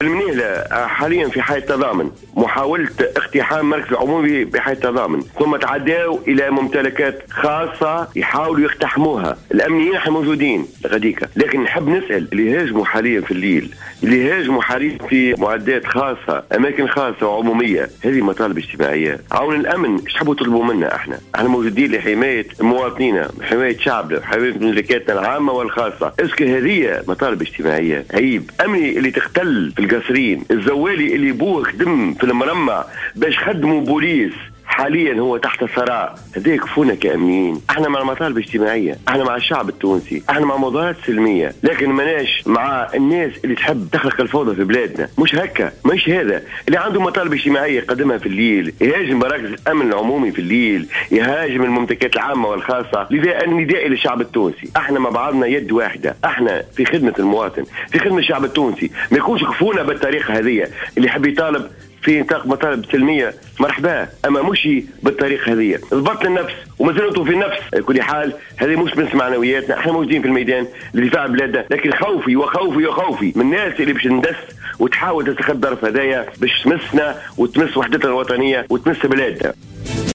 المنيهلة حاليا في حي التضامن، محاولة اقتحام مركز العمومي بحي التضامن، ثم تعداوا إلى ممتلكات خاصة يحاولوا يقتحموها. الأمنيين احنا موجودين غاديكا، لكن نحب نسأل اللي هاجموا حاليا في الليل، اللي هاجموا حاليا في معدات خاصة، أماكن خاصة وعمومية، هذه مطالب اجتماعية. عون الأمن ايش تحبوا تطلبوا منا احنا؟ احنا موجودين لحماية مواطنينا، حماية شعبنا، حماية ممتلكاتنا العامة والخاصة. est-ce que هذه مطالب اجتماعية؟ عيب. أمني اللي تختل في القصرين، الزوالي اللي بوه خدم في المرمى باش خدموا بوليس، حاليا هو تحت ثراء. هذا يكفونا كأمنيين. احنا مع المطالب الاجتماعية، احنا مع الشعب التونسي، احنا مع مظاهرات سلمية، لكن ماناش مع الناس اللي تحب تخلق الفوضى في بلادنا. مش هكا، مش هذا اللي عنده مطالب اجتماعية يقدمها في الليل، يهاجم مراكز الامن العمومي في الليل، يهاجم الممتلكات العامة والخاصة. لذا النداء للشعب التونسي، احنا مع بعضنا يد واحدة، احنا في خدمة المواطن، في خدمة الشعب التونسي. ما يكونش كفونا بالطريقة هذه. اللي يحب يطالب في نطاق مطالب سلمية مرحبا، اما مش بالطريقة هذه. ضبط النفس ومازالوا في النفس. على كل حال هذه مش من معنوياتنا، احنا موجودين في الميدان لدفاع بلادنا، لكن خوفي وخوفي وخوفي من الناس اللي باش ندس وتحاول تستخدم ظرف هدايا باش تمسنا وتمس وحدتنا الوطنية وتمس بلادنا.